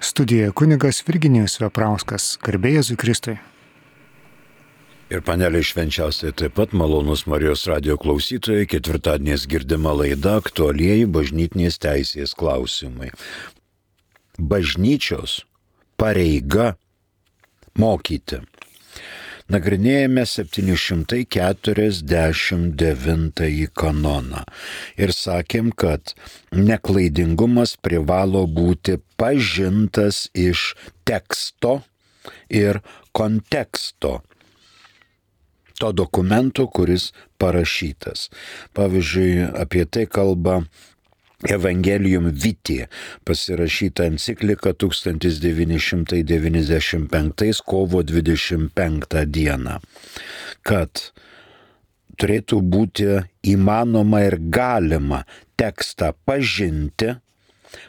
Studijoje kunigas Virginijus Veprauskas, garbė Jėzui Kristui. Ir paneliai švenčiausiai taip pat malonus Marijos radijo klausytojai, ketvirtadieniais girdima laida aktualieji bažnytinės teisės klausimai. Bažnyčios pareiga mokyti. Nagrinėjame 749 kanoną ir sakėm, kad neklaidingumas privalo būti pažintas iš teksto ir konteksto to dokumento, kuris parašytas. Pavyzdžiui, apie tai kalba Evangelium Vitae, pasirašyta enciklika 1995 kovo 25 dieną, kad turėtų būti įmanoma ir galima tekstą pažinti,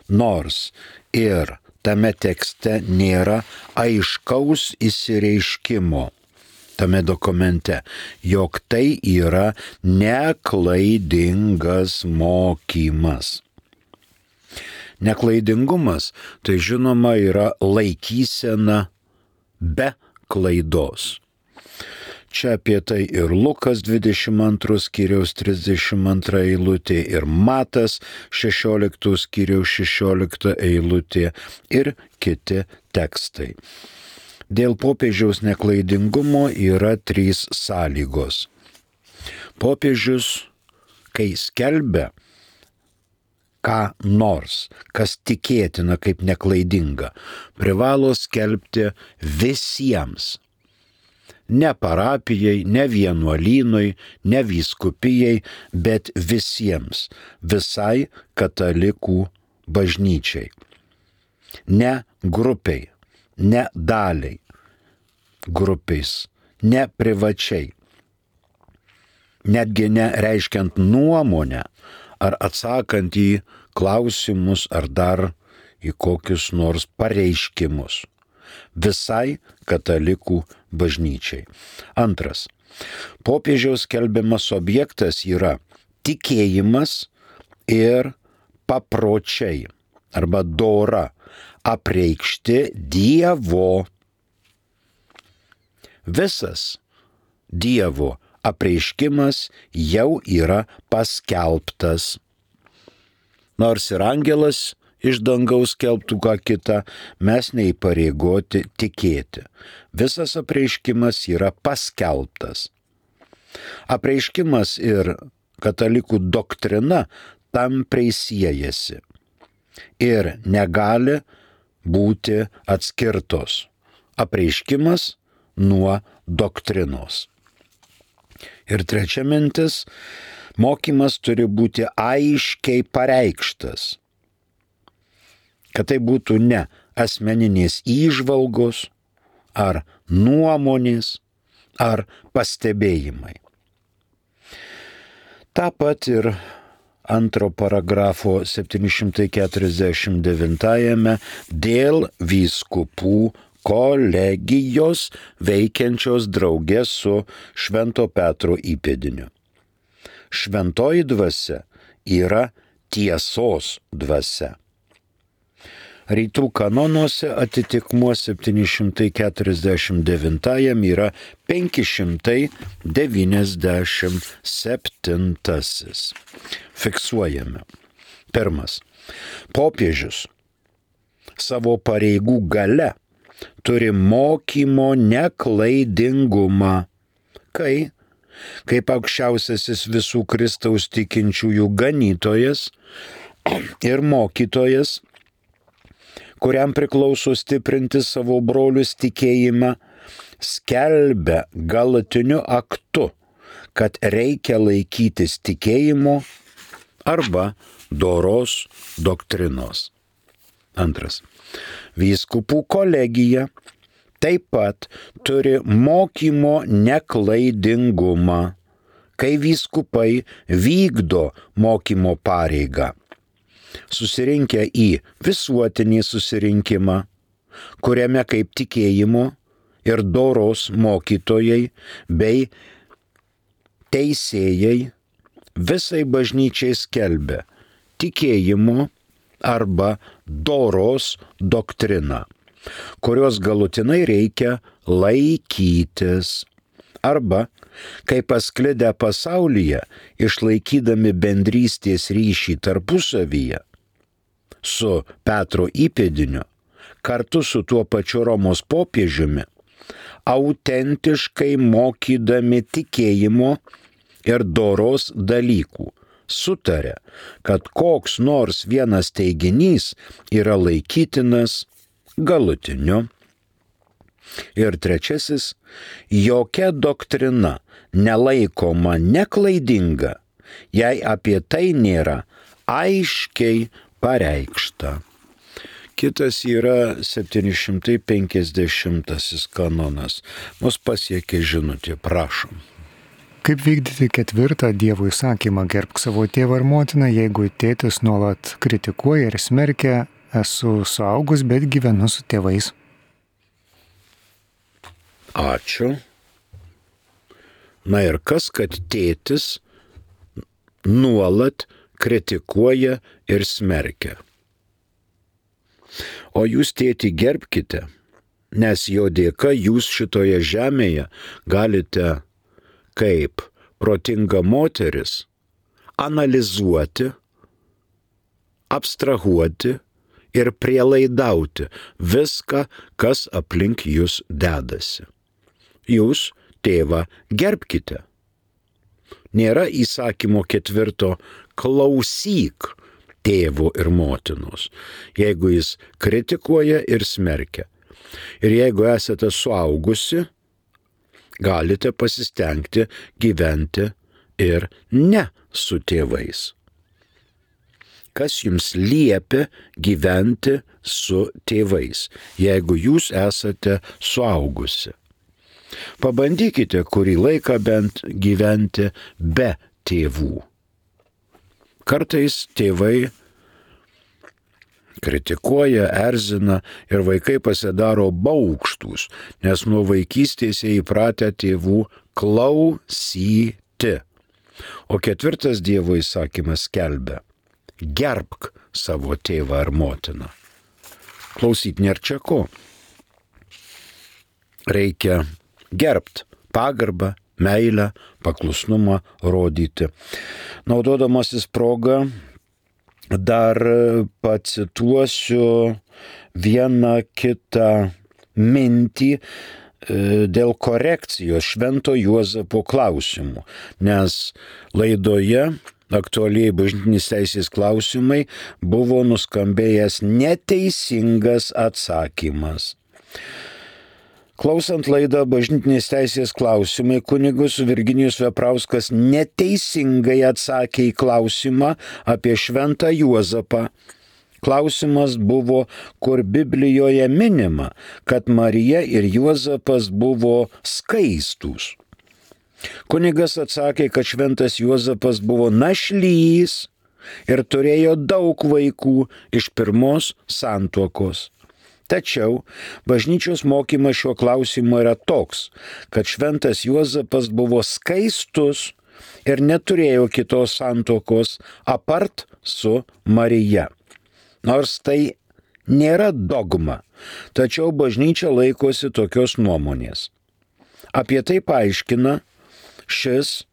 nors ir tame tekste nėra aiškaus išsireiškimo tame dokumente, jog tai yra neklaidingas mokymas. Neklaidingumas tai žinoma yra laikysena be klaidos. Čia apie tai ir Lukas 22 skyriaus 32 eilutė, ir Matas 16 skyriaus 16 eilutė ir kiti tekstai. Dėl popiežiaus neklaidingumo yra 3 sąlygos. Popiežius, kai skelbia ką nors, kas tikėtina kaip neklaidinga, privalo skelbti visiems. Ne parapijai, ne vienuolynui, ne vyskupijai, bet visiems, visai katalikų bažnyčiai. Ne grupiai, ne daliai grupės, ne privačiai, netgi nereiškiant nuomonę ar atsakant į klausimus ar dar į kokius nors pareiškimus. Visai katalikų bažnyčiai. Antras. Popiežiaus skelbiamas objektas yra tikėjimas ir papročiai arba dora apreikšti Dievo. Visas Dievo apreiškimas jau yra paskelbtas. Nors ir angelas iš dangaus skelbtų ką kitą, mes neįpareigoti tikėti. Visas apreiškimas yra paskelbtas. Apreiškimas ir katalikų doktrina tampriai siejasi ir negali būti atskirtos. Apreiškimas nuo doktrinos. Ir trečia mintis, mokymas turi būti aiškiai pareikštas. Kad tai būtų ne asmeninės įžvalgos, ar nuomonės, ar pastebėjimai. Ta pat ir antro paragrafo 749 dėl vyskupų kolegijos veikiančios drauge su Švento Petro įpėdiniu. Šventoji dvasia yra tiesos dvasia. Rytų kanonuose atitikmuo 749 yra 597. Fiksuojame. Pirmas. Popiežius savo pareigų gale turi mokymo neklaidingumą, kaip aukščiausiasis visų Kristaus tikinčiųjų ganytojas ir mokytojas, kuriam priklauso stiprinti savo brolius tikėjimą, skelbia galutiniu aktu, kad reikia laikytis tikėjimo arba doros doktrinos. Antras. Vyskupų kolegija taip pat turi mokymo neklaidingumą, kai vyskupai vykdo mokymo pareigą. Susirinkę į visuotinį susirinkimą, kuriame kaip tikėjimo ir doros mokytojai bei teisėjai visai bažnyčiai skelbia tikėjimo arba doros doktriną, kurios galutinai reikia laikytis. Arba, kai pasklidę pasaulyje, išlaikydami bendrystės ryšį tarpusavyje su Petro įpėdiniu, kartu su tuo pačiu Romos popiežiumi, autentiškai mokydami tikėjimo ir doros dalykų, sutarė, kad koks nors vienas teiginys yra laikytinas galutiniu. Ir trečiasis, jokia doktrina nelaikoma neklaidinga, jei apie tai nėra aiškiai pareikšta. Kitas yra 750 kanonas. Mus pasiekė žinutė, prašom. Kaip vykdyti 4 Dievo įsakymą gerbk savo tėvą ir motiną, jeigu tėtis nuolat kritikuoja ir smerkia, esu suaugus, bet gyvenu su tėvais? Ačiū. Na ir kas, kad tėtis nuolat kritikuoja ir smerkia? O jūs tėtį gerbkite, nes jo dėka jūs šitoje žemėje galite kaip protinga moteris analizuoti, abstrahuoti ir prielaidauti viską, kas aplink jūs dedasi. Jūs tėvą gerbkite. Nėra įsakymo 4 klausyk tėvo ir motinos, jeigu jis kritikuoja ir smerkia. Ir jeigu esate suaugusi, galite pasistengti gyventi ir ne su tėvais. Kas jums liepia gyventi su tėvais, jeigu jūs esate suaugusi? Pabandykite kurį laiką bent gyventi be tėvų. Kartais tėvai kritikuoja, erzina ir vaikai pasidaro baugštūs, nes nuo vaikystės jie įpratę tėvų klausyti. O 4 Dievo įsakymas skelbia: gerbk savo tėvą ar motiną. Klausyt nėra čia ko. Reikia gerbt pagarbą, meilę, paklusnumą rodyti. Naudodamasis progą dar pacituosiu vieną kitą mintį dėl korekcijos Švento Juozapo klausimų, nes laidoje aktualiai bažnytinės teisės klausimai buvo nuskambėjęs neteisingas atsakymas. Klausant laidą bažnytinės teisės klausimai, kunigas Virginijus Veprauskas neteisingai atsakė į klausimą apie Šventą Juozapą. Klausimas buvo, kur Biblijoje minima, kad Marija ir Juozapas buvo skaistūs. Kunigas atsakė, kad Šventas Juozapas buvo našlys ir turėjo daug vaikų iš pirmos santuokos. Tačiau bažnyčios mokymas šiuo klausimu yra toks, kad Šventas Juozapas buvo skaistus ir neturėjo kitos santuokos apart su Marija. Nors tai nėra dogma, tačiau bažnyčia laikosi tokios nuomonės. Apie tai paaiškina šis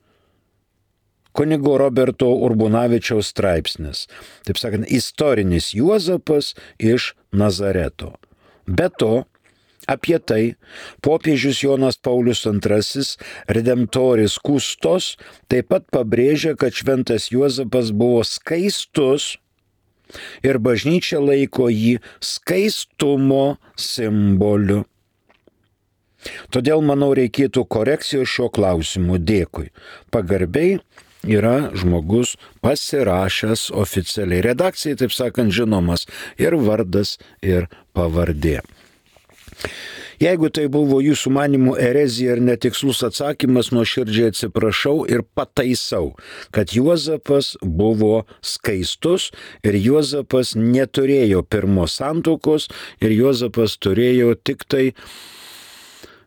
kunigo Roberto Urbonavičiaus straipsnis, taip sakant, istorinis Juozapas iš Nazareto. Be to, apie tai popiežius Jonas Paulius II Redemptoris Custos taip pat pabrėžia, kad Šventas Juozapas buvo skaistus ir bažnyčia laiko jį skaistumo simboliu. Todėl, manau, reikėtų korekcijos šio klausimu. Dėkui. Pagarbiai yra žmogus pasirašęs oficialiai. Redakcijai, taip sakant, žinomas ir vardas, ir pavardė. Jeigu tai buvo jūsų manimų erezija ir netikslus atsakymas, nuoširdžiai atsiprašau ir pataisau, kad Juozapas buvo skaistus ir Juozapas neturėjo pirmos santuokos ir Juozapas turėjo tik tai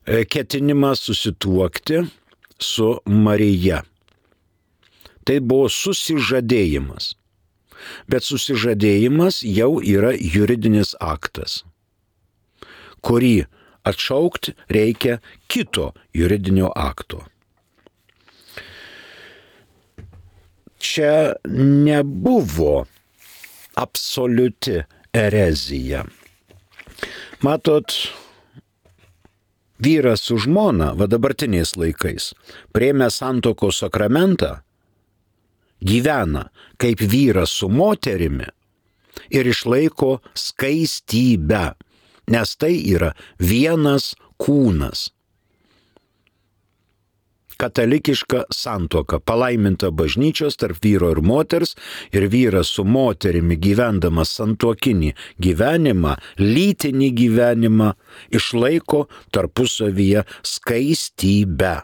ketinimą susituokti su Marija. Tai buvo susižadėjimas. bet susižadėjimas jau yra juridinis aktas, kurį atšaukti reikia kito juridinio akto. Čia nebuvo absoliuti erezija. Matot, vyras su žmona, va dabartiniais laikais, priėmė santuokos sakramentą, gyvena kaip vyras su moterimi ir išlaiko skaistybę, nes tai yra vienas kūnas. Katalikiška santuoka, palaiminta bažnyčios tarp vyro ir moters, ir vyras su moterimi gyvendamas santuokinį gyvenimą, lytinį gyvenimą, išlaiko tarpusavyje skaistybę.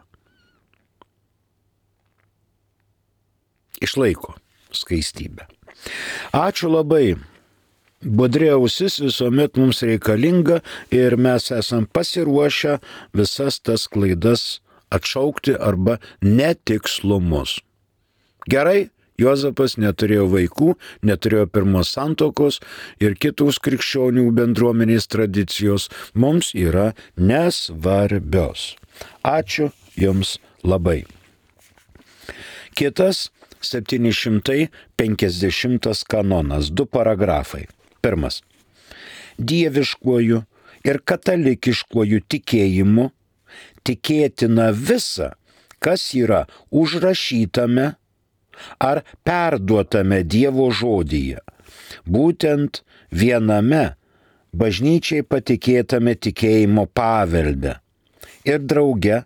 Išlaiko skaistybę. Ačiū labai. Budri ausis visuomet mums reikalinga ir mes esam pasiruošę visas tas klaidas atšaukti arba netikslumus. Gerai, Juozapas neturėjo vaikų, neturėjo pirmos santuokos ir kitos krikščionių bendruomenės tradicijos mums yra nesvarbios. Ačiū Jums labai. Kitas 750 kanonas, 2 paragrafai. Pirmas. Dieviškuoju ir katalikiškuoju tikėjimu tikėtina visa, kas yra užrašytame ar perduotame Dievo žodyje, būtent viename bažnyčiai patikėtame tikėjimo pavelde ir drauge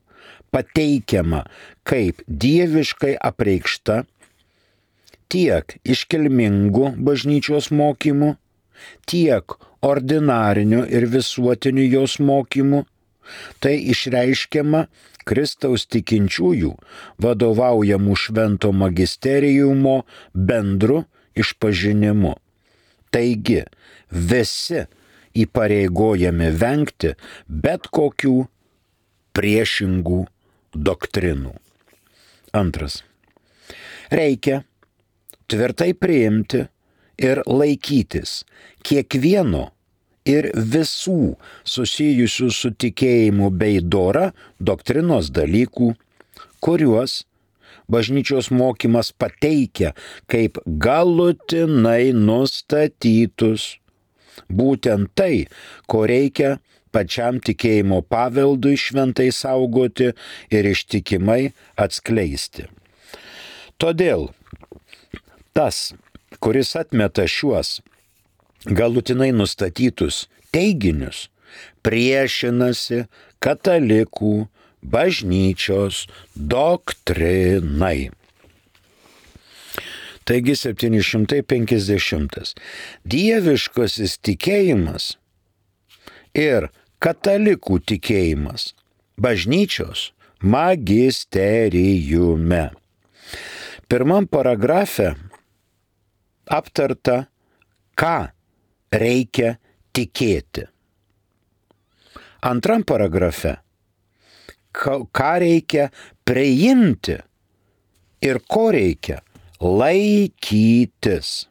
pateikiama kaip dieviškai apreikšta tiek iškilmingų bažnyčios mokymų, tiek ordinarinių ir visuotinių jos mokymų, tai išreiškiama Kristaus tikinčiųjų vadovaujamų švento magisteriumo bendru išpažinimu. Taigi, visi įpareigojami vengti bet kokių priešingų doktrinų. Antras. Reikia tvirtai priimti ir laikytis kiekvieno ir visų susijusių su tikėjimu bei dora doktrinos dalykų, kuriuos bažnyčios mokymas pateikia kaip galutinai nustatytus. Būtent tai, ko reikia pačiam tikėjimo paveldui šventai saugoti ir ištikimai atskleisti. Todėl tas, kuris atmeta šiuos galutinai nustatytus teiginius, priešinasi katalikų bažnyčios doktrinai. Taigi 750. Dieviškasis tikėjimas ir katalikų tikėjimas bažnyčios magisteriume. Pirmam paragrafe aptarta, ką reikia tikėti. Antram paragrafe, ką reikia priimti ir ko reikia laikytis.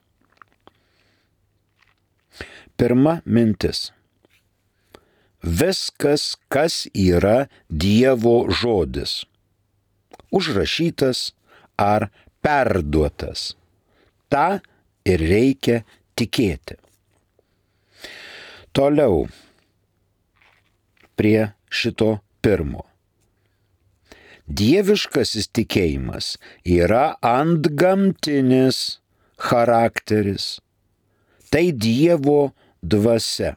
Pirma mintis. Viskas, kas yra Dievo žodis, užrašytas ar perduotas, tą ir reikia tikėti. Toliau prie šito pirmo. Dieviškasis tikėjimas yra antgamtinis charakteris. Tai Dievo dvasia.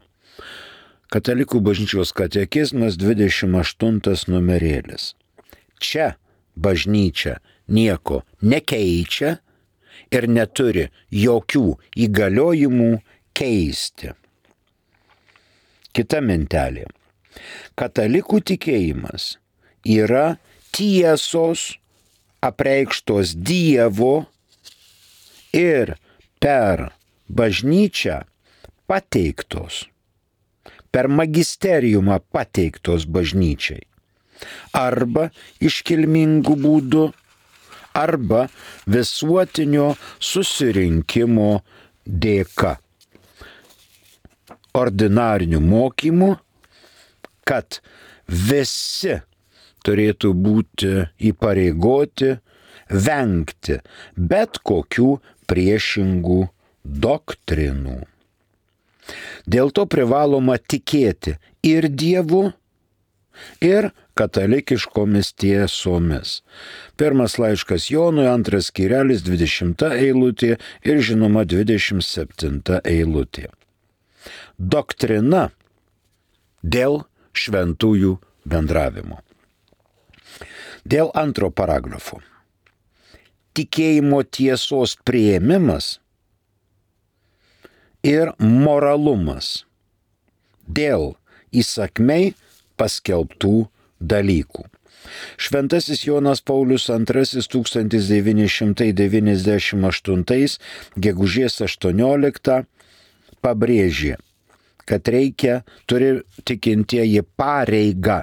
Katalikų bažnyčios katekizmas 28 numerėlis. Čia bažnyčia nieko nekeičia ir neturi jokių įgaliojimų keisti. Kita mintelė. Katalikų tikėjimas yra tiesos apreikštos Dievo ir per bažnyčią pateiktos, per magisteriumą pateiktos bažnyčiai. Arba iškilmingų būdų, arba visuotinio susirinkimo dėka. Ordinarinių mokymų, kad visi turėtų būti įpareigoti vengti bet kokių priešingų doktrinų. Dėl to privaloma tikėti ir Dievu, ir katalikiškomis tiesomis. Pirmas laiškas Jonui, 2 skyrelis, 20 eilutė ir žinoma 27 eilutė. Doktrina dėl šventųjų bendravimo. Dėl antro paragrafo. Tikėjimo tiesos priėmimas ir moralumas dėl įsakmiai paskelbtų dalykų. Šventasis Jonas Paulius II 1998 gegužės 18 pabrėžė, kad turi tikintieji pareigą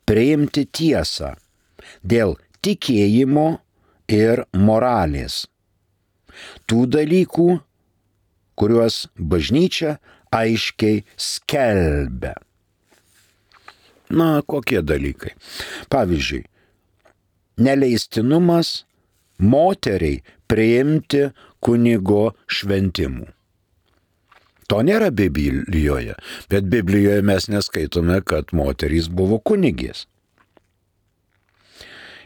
priimti tiesą dėl tikėjimo ir moralės. Tų dalykų, kuriuos bažnyčia aiškiai skelbia. Na, kokie dalykai? Pavyzdžiui, neleistinumas moteriai priimti kunigo šventimų. To nėra Biblijoje, bet Biblijoje mes neskaitome, kad moterys buvo kunigės.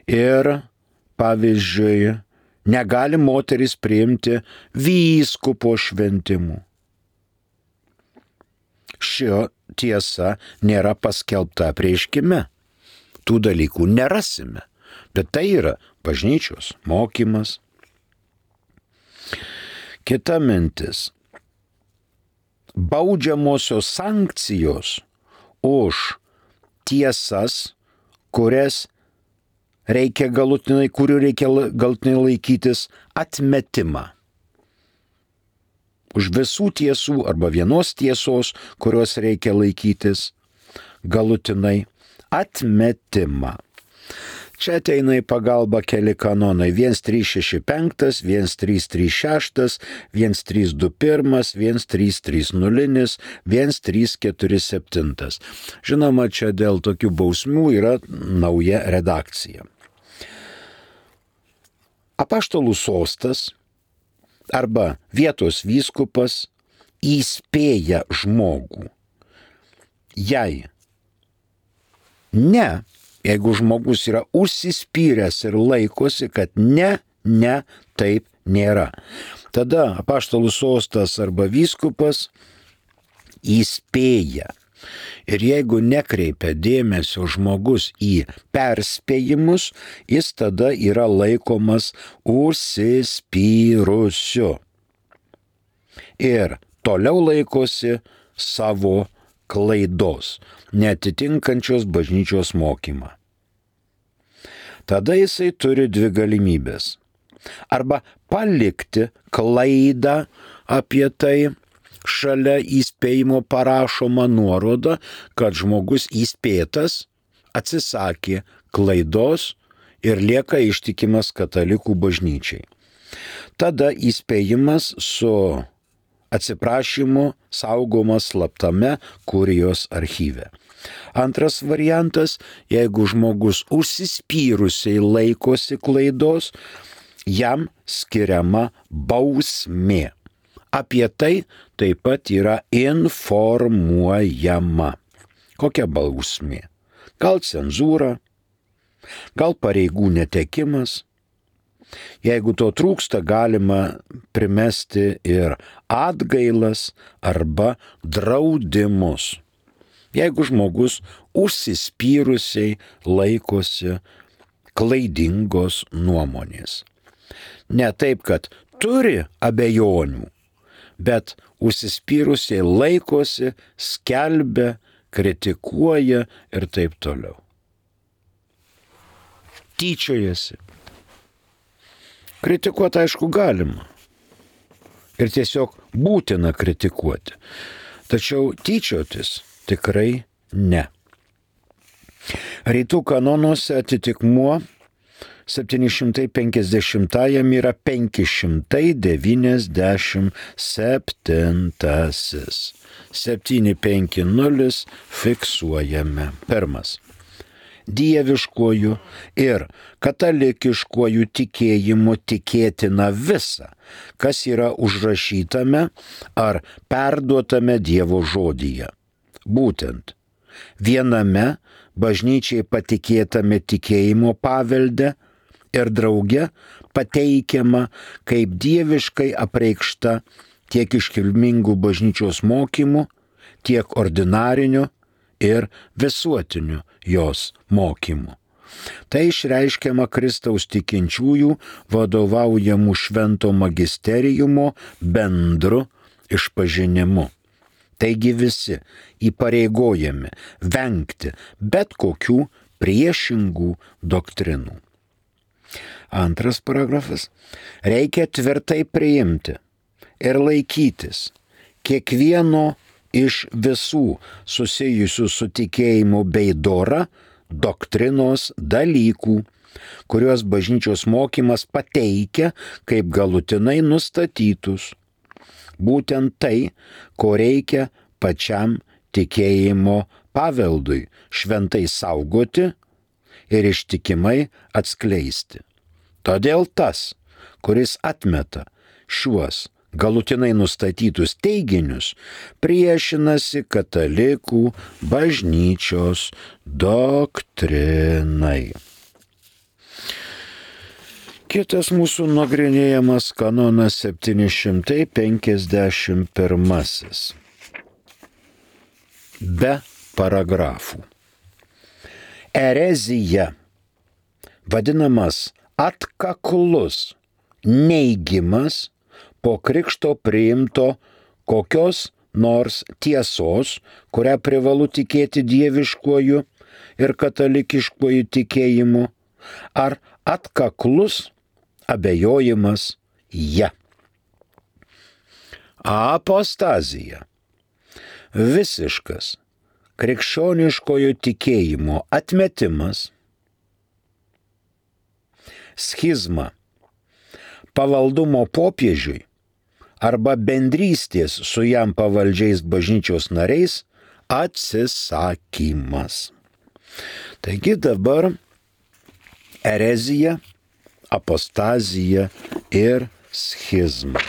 Ir, pavyzdžiui, negali moteris priimti vyskupo šventimų. Šio tiesa nėra paskelbta apreiškime. Tų dalykų nerasime, bet tai yra bažnyčios mokymas. Kita mintis. Baudžiamosios sankcijos už tiesas, kurių reikia galutinai laikytis, atmetimą. Už visų tiesų arba vienos tiesos, kurios reikia laikytis, galutinai atmetimą. Čia ateina į pagalbą keli kanonai 1365, 1336, 1321, 1330, 1347. Žinoma, čia dėl tokių bausmių yra nauja redakcija. Apaštalų sostas arba vietos vyskupas įspėja žmogų. Jeigu žmogus yra užsispyręs ir laikosi, kad taip nėra. Tada apaštalų sostas arba vyskupas įspėja. Ir jeigu nekreipia dėmesio žmogus į perspėjimus, jis tada yra laikomas užsispyrusiu. Ir toliau laikosi savo klaidos, neatitinkančios bažnyčios mokymą. Tada jisai turi dvi galimybės. Arba palikti klaidą apie tai, šalia įspėjimo parašoma nuoroda, kad žmogus įspėtas atsisakė klaidos ir lieka ištikimas katalikų bažnyčiai. Tada įspėjimas su atsiprašymu saugomas slaptame kurijos archyve. Antras variantas, jeigu žmogus užsispyrusiai laikosi klaidos, jam skiriama bausmė. Apie tai taip pat yra informuojama. Kokia bausmė? Gal cenzūra, gal pareigų netekimas. Jeigu to trūksta, galima primesti ir atgailas arba draudimus. Jeigu žmogus užsispyrusiai laikosi klaidingos nuomonės. Ne taip, kad turi abejonių, bet užsispyrusiai laikosi, skelbia, kritikuoja ir taip toliau. Tyčiojasi. Kritikuoti aišku galima. Ir tiesiog būtina kritikuoti. Tačiau tyčiotis tikrai ne. Rytų kanonuose atitikmuo 750 yra 597. 750 fiksuojame. Pirmas. Dieviškuoju ir katalikiškuoju tikėjimu tikėtina visa, kas yra užrašytame ar perduotame Dievo žodyje. Būtent viename bažnyčiai patikėtame tikėjimo pavelde ir drauge pateikiama kaip dieviškai apreikšta tiek iškilmingų bažnyčios mokymų, tiek ordinarinių ir visuotinių jos mokymų. Tai išreiškiama Kristaus tikinčiųjų vadovaujamų švento magisteriumo bendru išpažinimu. Taigi visi įpareigojami vengti bet kokių priešingų doktrinų. Antras paragrafas. Reikia tvirtai priimti ir laikytis kiekvieno iš visų susijusių su tikėjimu bei dora doktrinos dalykų, kuriuos bažnyčios mokymas pateikia kaip galutinai nustatytus. Būtent tai, ko reikia pačiam tikėjimo paveldui šventai saugoti ir ištikimai atskleisti. Todėl tas, kuris atmeta šiuos galutinai nustatytus teiginius, priešinasi katalikų bažnyčios doktrinai. Kitas mūsų nagrinėjamas kanonas 751. Be paragrafų. Erezija, vadinamas atkaklus neigimas po krikšto priimto kokios nors tiesos, kurią privalu tikėti dieviškuoju ir katalikiškuoju tikėjimu, ar atkaklus abejojimas ja. Apostazija. Visiškas krikščioniškojo tikėjimo atmetimas. Schizma. Pavaldumo popiežiui arba bendrystės su jam pavaldžiais bažnyčios nariais atsisakymas. Taigi dabar erezija, apostazija ir schizma.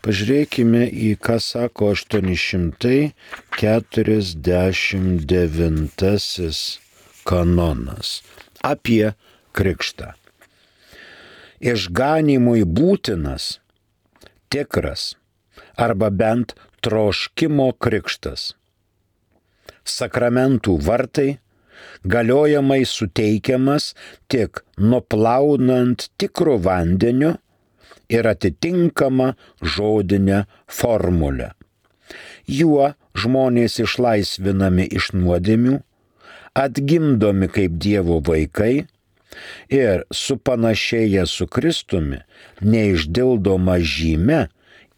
Pažiūrėkime į ką sako 849 kanonas apie krikštą. Išganymui būtinas, tikras arba bent troškimo krikštas. Sakramentų vartai galiojamai suteikiamas tik nuplaunant tikru vandeniu ir atitinkama žodinė formulė. Juo žmonės išlaisvinami iš nuodėmių, atgimdomi kaip Dievo vaikai ir supanašėję su Kristumi neišdildoma žyme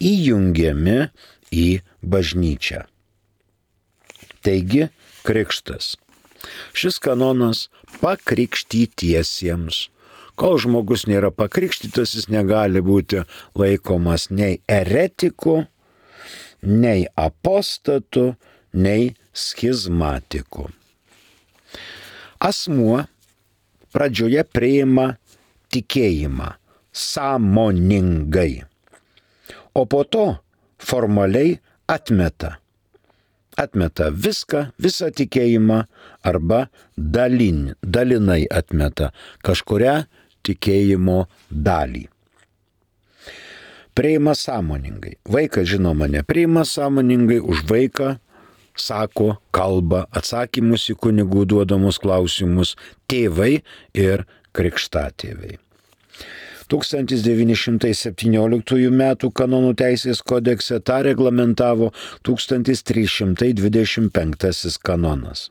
įjungiami į bažnyčią. Taigi krikštas. Šis kanonas pakrikštytiesiems. Kol žmogus nėra pakrikštytas, jis negali būti laikomas nei eretiku, nei apostatu, nei schizmatiku. Asmuo pradžioje priima tikėjimą sąmoningai, o po to formaliai atmeta viską, visą tikėjimą arba dalinai atmeta kažkurią tikėjimo dalį. Priima sąmoningai. Vaikas žinoma nepriima sąmoningai, už vaiką sako, kalba, atsakymus į kunigų duodamus klausimus tėvai ir krikštatėviai. 1917 m. kanonų teisės kodekse tą reglamentavo 1325 kanonas.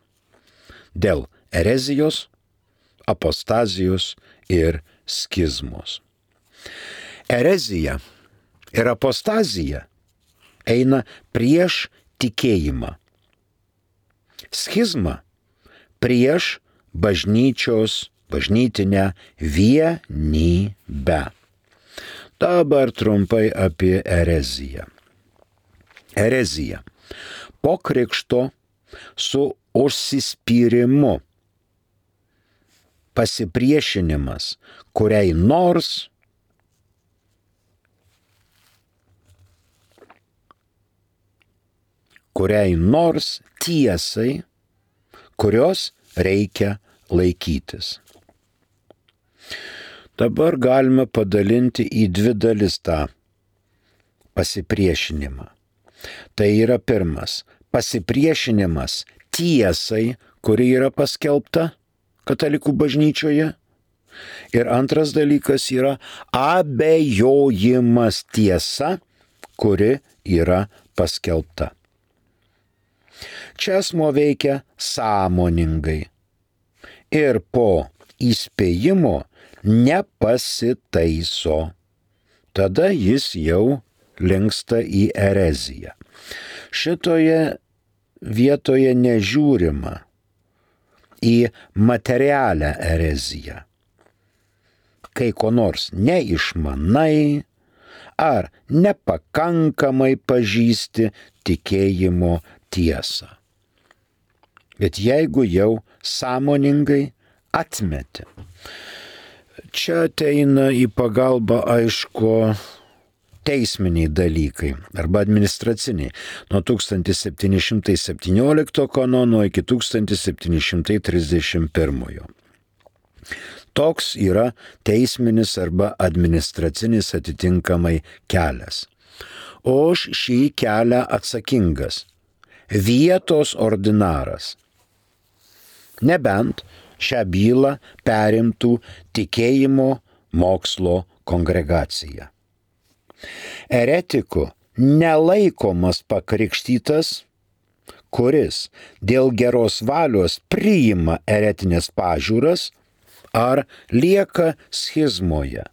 Dėl erezijos, apostazijos ir schizmos. Erezija ir apostazija eina prieš tikėjimą. Schizma prieš bažnyčios bažnytinę vienybę. Dabar trumpai apie ereziją. Erezija. Po krikšto su užsispyrimu pasipriešinimas kuriai nors tiesai, kurios reikia laikytis. Dabar galime padalinti į dvi dalis tą pasipriešinimą. Tai yra pirmas – pasipriešinimas tiesai, kuri yra paskelbta katalikų bažnyčioje. Ir antras dalykas yra abejojimas tiesa, kuri yra paskelbta. Čia asmuo veikia sąmoningai ir po įspėjimo nepasitaiso. Tada jis jau linksta į ereziją. Šitoje vietoje nežiūrima į materialią ereziją. Kai ko nors neišmanai ar nepakankamai pažįsti tikėjimo tiesą. Bet jeigu jau sąmoningai atmeti. Čia ateina į pagalbą, aišku, teisminiai dalykai arba administraciniai nuo 1717 kanono iki 1731. Toks yra teisminis arba administracinis atitinkamai kelias. O už šį kelią atsakingas vietos ordinaras. Nebent šią bylą perimtų tikėjimo mokslo kongregacija. Eretiku nelaikomas pakrikštytas, kuris dėl geros valios priima eretinės pažiūras ar lieka schizmoje.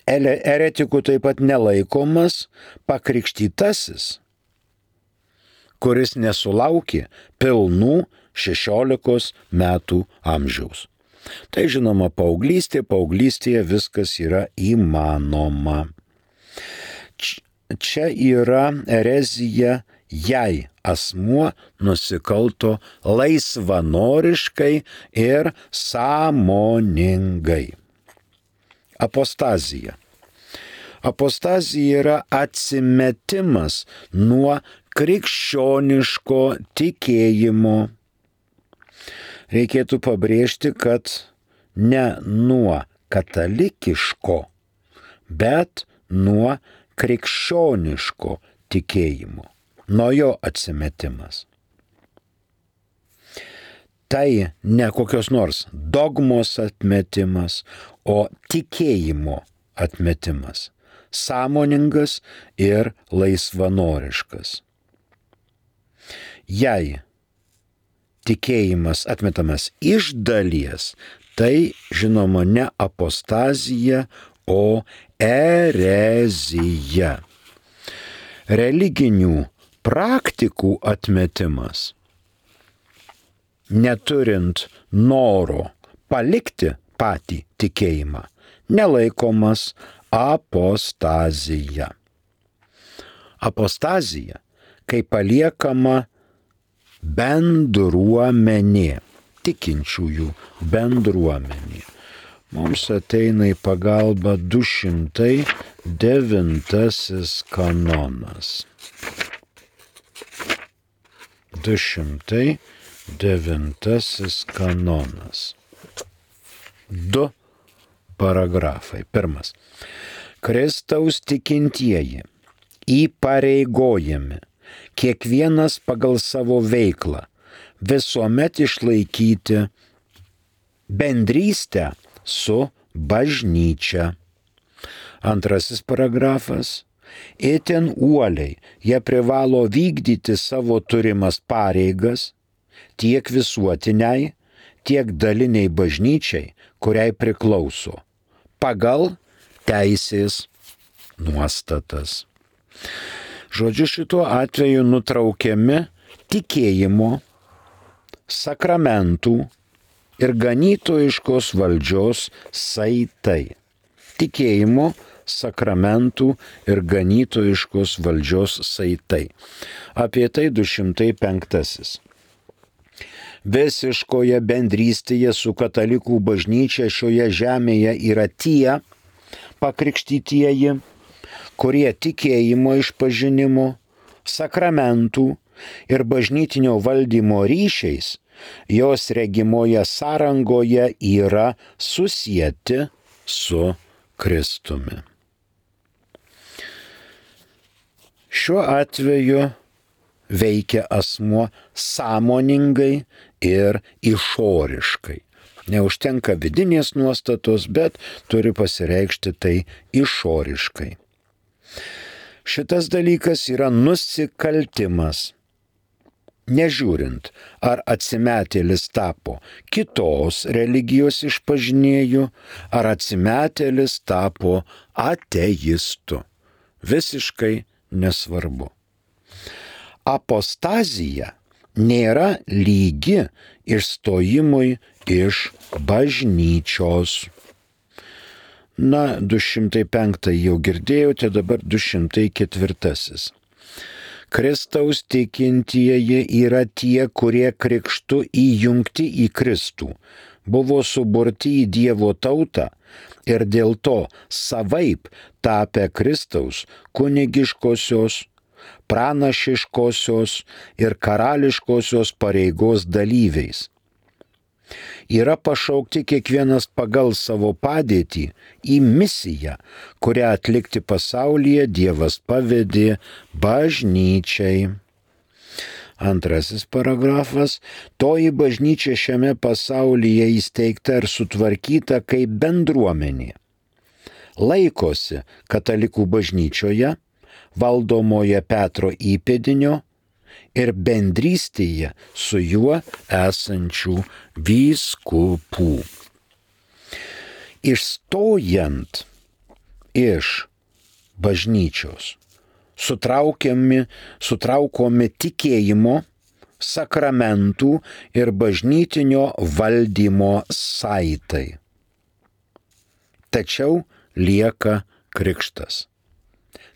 Eretiku taip pat nelaikomas pakrikštytasis, kuris nesulaukė pilnų 16 metų amžiaus. Tai žinoma paauglystėje viskas yra įmanoma. Čia yra erezija, jei asmuo nusikalto laisvanoriškai ir sąmoningai. Apostazija. Apostazija yra atsimetimas nuo krikščioniško tikėjimo. Reikėtų pabrėžti, kad ne nuo katalikiško, bet nuo krikščioniško tikėjimo, nuo jo atsimetimas. Tai ne kokios nors dogmos atmetimas, o tikėjimo atmetimas, sąmoningas ir laisvanoriškas. Jei tikėjimas atmetamas iš dalies, tai žinoma ne apostazija, o erezija. Religinių praktikų atmetimas, neturint noro palikti patį tikėjimą, nelaikomas apostazija. Apostazija, kai paliekama bendruomenė, tikinčiųjų bendruomenė. Mums ateina į pagalbą 209 kanonas. 209 kanonas. 2 paragrafai. Pirmas. Kristaus tikintieji įpareigojami kiekvienas pagal savo veiklą visuomet išlaikyti bendrystę su bažnyčia. Antrasis paragrafas. Itin uoliai jie privalo vykdyti savo turimas pareigas tiek visuotiniai, tiek daliniai bažnyčiai, kuriai priklauso, pagal teisės nuostatas. Žodžiu, šituo atveju nutraukiami tikėjimo, sakramentų ir ganytojiškos valdžios saitai. Tikėjimo, sakramentų ir ganytojiškos valdžios saitai. Apie tai 205. Visiškoje bendrystėje su katalikų bažnyčia šioje žemėje yra tie pakrikštytieji, kurie tikėjimo išpažinimo, sakramentų ir bažnytinio valdymo ryšiais jos regimoje sąrangoje yra susieti su Kristumi. Šiuo atveju veikia asmuo sąmoningai ir išoriškai. Neužtenka vidinės nuostatos, bet turi pasireikšti tai išoriškai. Šitas dalykas yra nusikaltimas. Nežiūrint, ar atsimetėlis tapo kitos religijos išpažinėju, ar atsimetėlis tapo ateistu. Visiškai nesvarbu. Apostazija nėra lygi išstojimui iš bažnyčios. 205 jau girdėjote, dabar 204. Kristaus tikintieji yra tie, kurie krikštu įjungti į Kristų, buvo suburti į Dievo tautą ir dėl to savaip tapę Kristaus kunigiškosios, pranašiškosios ir karališkosios pareigos dalyviais. Yra pašaukti kiekvienas pagal savo padėtį į misiją, kurią atlikti pasaulyje Dievas pavedė bažnyčiai. 2 paragrafas. Toji bažnyčia šiame pasaulyje įsteigta ir sutvarkyta kaip bendruomenė. Laikosi katalikų bažnyčioje, valdomoje Petro įpėdinio ir bendrystėje su juo esančių vyskupų. Išstojant iš bažnyčios, sutraukomi tikėjimo, sakramentų ir bažnytinio valdymo saitai. Tačiau lieka krikštas.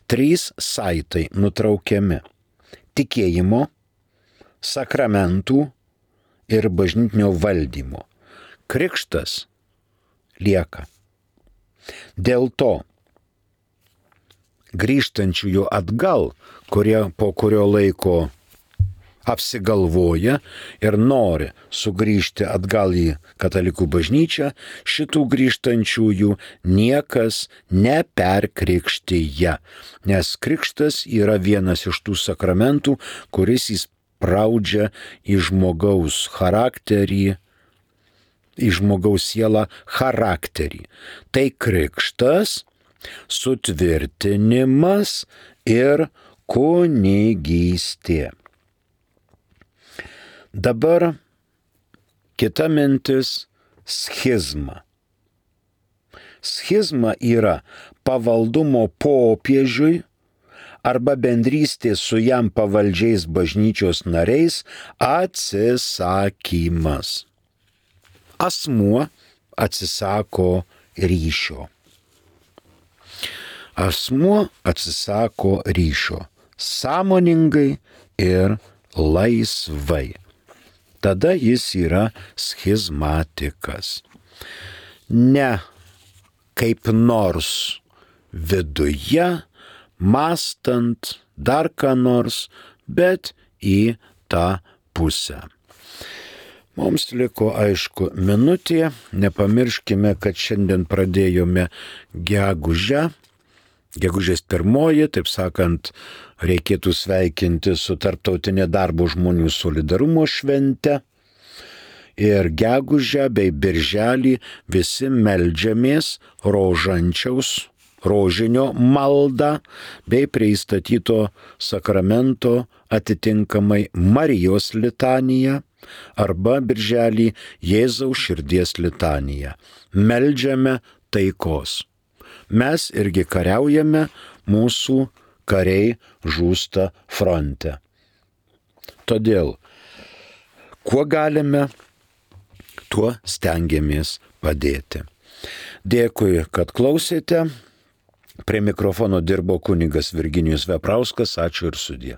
3 saitai nutraukiami. Tikėjimo, sakramentų ir bažnytinio valdymo. Krikštas lieka. Dėl to grįžtančiųjų atgal, kurie po kurio laiko apsigalvoja ir nori sugrįžti atgal į katalikų bažnyčią, šitų grįžtančiųjų niekas neperkrikštyja, nes krikštas yra vienas iš tų sakramentų, kuris įspraudžia į žmogaus charakterį, į žmogaus sielą charakterį. Tai krikštas, sutvirtinimas ir kunigystė. Dabar kita mintis – schizma. Schizma yra pavaldumo popiežiui arba bendrystės su jam pavaldžiais bažnyčios nariais atsisakymas. Asmuo atsisako ryšio. Asmuo atsisako ryšio sąmoningai ir laisvai. Tada jis yra schizmatikas. Ne kaip nors viduje, mąstant dar ką nors, bet į tą pusę. Mums liko aišku minutė, nepamirškime, kad šiandien pradėjome gegužę. Gegužės 1, taip sakant, reikėtų sveikinti su Tarptautinė darbo žmonių solidarumo švente. Ir gegužę bei birželį visi meldžiamės rožinio maldą bei prie įstatyto sakramento atitinkamai Marijos litaniją arba birželį Jėzaus širdies litaniją. Meldžiame taikos. Mes irgi kariaujame, mūsų kariai žūsta fronte. Todėl, kuo galime, tuo stengiamės padėti. Dėkui, kad klausėte. Prie mikrofono dirbo kunigas Virginijus Veprauskas. Ačiū ir sudie.